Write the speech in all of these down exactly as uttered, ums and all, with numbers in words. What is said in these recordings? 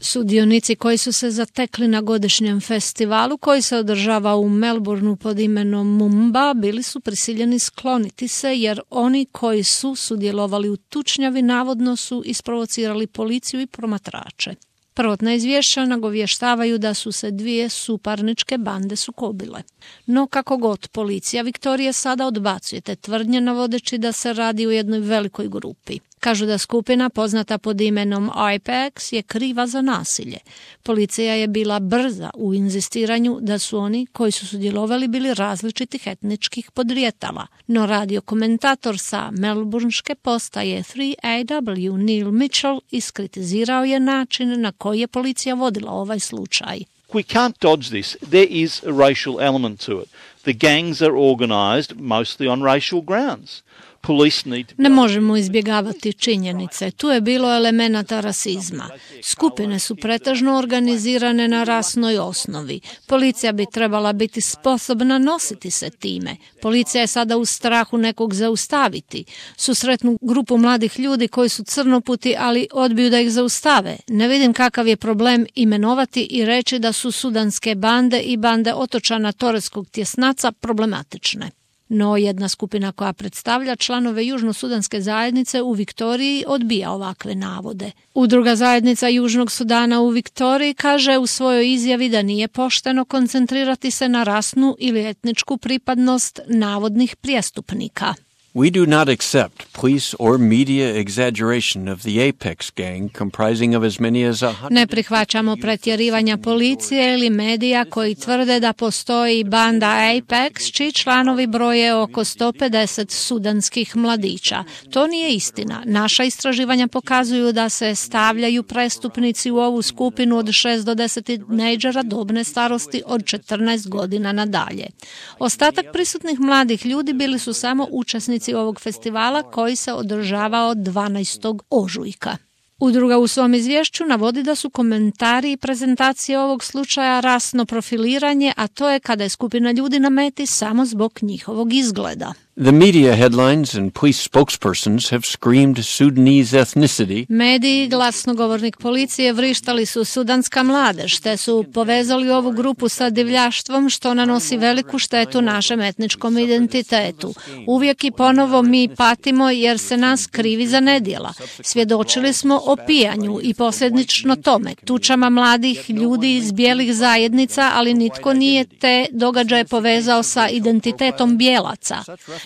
Sudionici koji su se zatekli na godišnjem festivalu koji se održava u Melbourneu pod imenom Mumba bili su prisiljeni skloniti se jer oni koji su sudjelovali u tučnjavi navodno su isprovocirali policiju i promatrače. Prvotna izvješća nagovještavaju da su se dvije suparničke bande sukobile. No kako god, policija Viktorije sada odbacuje te tvrdnje navodeći da se radi o jednoj velikoj grupi. Kažu da skupina poznata pod imenom Apex je kriva za nasilje. Policija je bila brza u inzistiranju da su oni koji su sudjelovali bili različitih etničkih podrijetala. No radio komentator sa melburnške postaje tri A W Neil Mitchell iskritizirao je način na koji je policija vodila ovaj slučaj. We can't dodge this. There is a racial element to it. The gangs are organized mostly on racial grounds. Ne možemo izbjegavati činjenice. Tu je bilo elemenata rasizma. Skupine su pretežno organizirane na rasnoj osnovi. Policija bi trebala biti sposobna nositi se time. Policija je sada u strahu nekog zaustaviti. Susretnu grupu mladih ljudi koji su crnoputi, ali odbiju da ih zaustave. Ne vidim kakav je problem imenovati i reći da su sudanske bande i bande otočana Toreskog tjesnaca problematične. No jedna skupina koja predstavlja članove južnosudanske zajednice u Viktoriji odbija ovakve navode. Udruga zajednica Južnog Sudana u Viktoriji kaže u svojoj izjavi da nije pošteno koncentrirati se na rasnu ili etničku pripadnost navodnih prijestupnika. We do not accept police or media exaggeration of the Apex gang comprising of as many as a hundred. Ne prihvaćamo pretjerivanja policije ili medija koji tvrde da postoji banda Apex čiji članovi broje oko sto pedeset sudanskih mladića. To nije istina. Naša istraživanja pokazuju da se stavljaju prestupnici u ovu skupinu od šest do deset tinejdžera dobne starosti od četrnaest godina nadalje. Ostatak prisutnih mladih ljudi bili su samo učesnici ovog festivala koji se održavao dvanaestog ožujka. Udruga u svom izvješću navodi da su komentari i prezentacije ovog slučaja rasno profiliranje, a to je kada je skupina ljudi na meti samo zbog njihovog izgleda. The media headlines and police spokespersons have screamed Sudanese ethnicity. Mediji i glasnogovornik policije vrištali su sudanska mladež, te su povezali ovu grupu sa divljaštvom što nanosi veliku štetu našem etničkom identitetu. Uvijek i ponovo mi patimo jer se nas krivi za nedjela. Svjedočili smo o pijanju i posljedično tome, tučama mladih ljudi iz bijelih zajednica, ali nitko nije te događaje povezao sa identitetom bijelaca.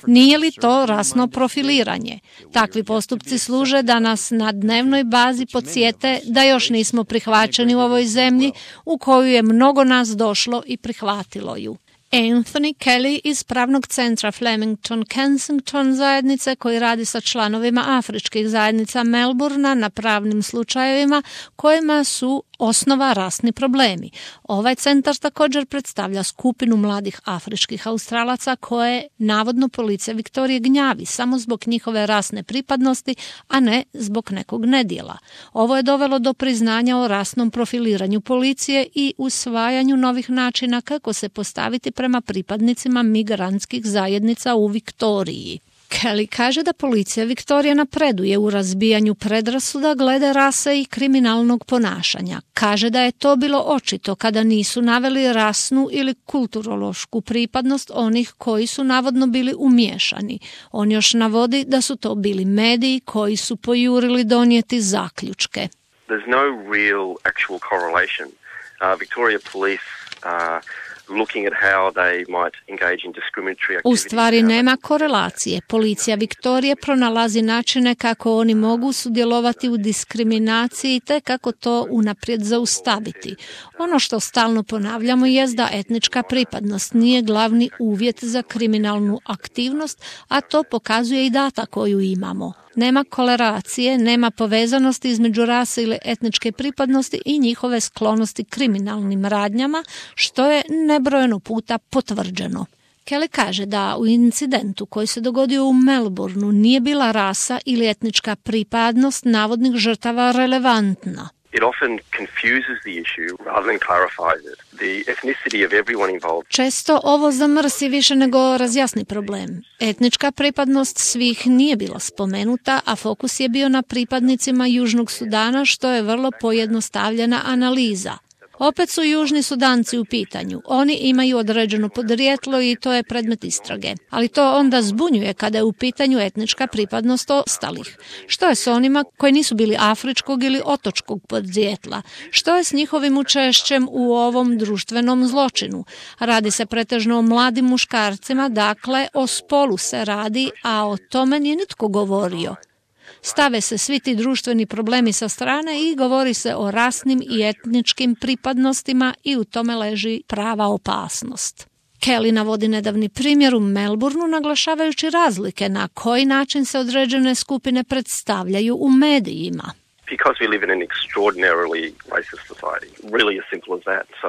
Nije li to rasno profiliranje? Takvi postupci služe da nas na dnevnoj bazi podsjete da još nismo prihvaćeni u ovoj zemlji u koju je mnogo nas došlo i prihvatilo ju. Anthony Kelly iz pravnog centra Flemington Kensington zajednice koji radi sa članovima afričkih zajednica Melbournea na pravnim slučajevima kojima su osnova rasni problemi. Ovaj centar također predstavlja skupinu mladih afričkih Australaca koje navodno policija Viktorije gnjavi samo zbog njihove rasne pripadnosti, a ne zbog nekog nedjela. Ovo je dovelo do priznanja o rasnom profiliranju policije i usvajanju novih načina kako se postaviti prema pripadnicima migrantskih zajednica u Viktoriji. Kelly kaže da policija Viktorije napreduje u razbijanju predrasuda glede rase i kriminalnog ponašanja. Kaže da je to bilo očito kada nisu naveli rasnu ili kulturološku pripadnost onih koji su navodno bili umiješani. On još navodi da su to bili mediji koji su pojurili donijeti zaključke. There's no real actual correlation. Uh, Victoria Police uh, looking at how they might engage in discriminatory activities. U stvari nema korelacije. Policija Viktorije pronalazi načine kako oni mogu sudjelovati u diskriminaciji te kako to unaprijed zaustaviti. Ono što stalno ponavljamo je da etnička pripadnost nije glavni uvjet za kriminalnu aktivnost, a to pokazuje i data koju imamo. Nema korelacije, nema povezanosti između rase ili etničke pripadnosti i njihove sklonosti kriminalnim radnjama, što je nebrojeno puta potvrđeno. Kelly kaže da u incidentu koji se dogodio u Melbourneu nije bila rasa ili etnička pripadnost navodnih žrtava relevantna. It often confuses the issue rather than clarifies it. The ethnicity of everyone involved. Često ovo zamrsi više nego razjasni problem. Etnička pripadnost svih nije bila spomenuta, a fokus je bio na pripadnicima Južnog Sudana, što je vrlo pojednostavljena analiza. Opet su Južni Sudanci u pitanju. Oni imaju određeno podrijetlo i to je predmet istrage. Ali to onda zbunjuje kada je u pitanju etnička pripadnost ostalih. Što je s onima koji nisu bili afričkog ili otočkog podrijetla? Što je s njihovim učešćem u ovom društvenom zločinu? Radi se pretežno o mladim muškarcima, dakle o spolu se radi, a o tome nije nitko govorio. Stave se svi ti društveni problemi sa strane i govori se o rasnim i etničkim pripadnostima i u tome leži prava opasnost. Kelly navodi nedavni primjer u Melbourneu naglašavajući razlike na koji način se određene skupine predstavljaju u medijima. Because we live in an extraordinarily racist society, really as simple as that. So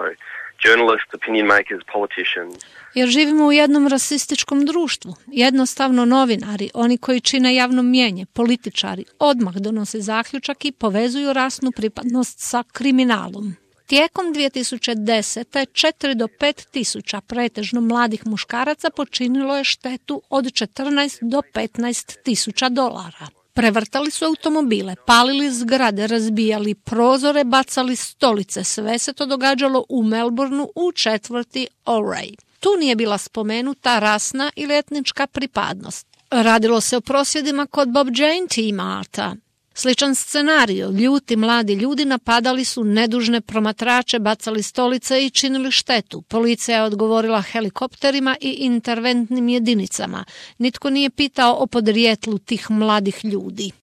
journalists, opinion makers, politicians. Jer živimo u jednom rasističkom društvu. Jednostavno novinari, oni koji čine javno mnijenje, političari, odmah donose zaključak i povezuju rasnu pripadnost sa kriminalom. Tijekom dvije tisuće desete četiri do pet tisuća pretežno mladih muškaraca počinilo je štetu od četrnaest do petnaest tisuća dolara. Prevrtali su automobile, palili zgrade, razbijali prozore, bacali stolice. Sve se to događalo u Melbourneu u četvrti Auray. Tu nije bila spomenuta rasna ili etnička pripadnost. Radilo se o prosvjedima kod Bob Jane Tea Marta. Sličan scenario, ljuti mladi ljudi napadali su nedužne promatrače, bacali stolice i činili štetu. Policija je odgovorila helikopterima i interventnim jedinicama. Nitko nije pitao o podrijetlu tih mladih ljudi.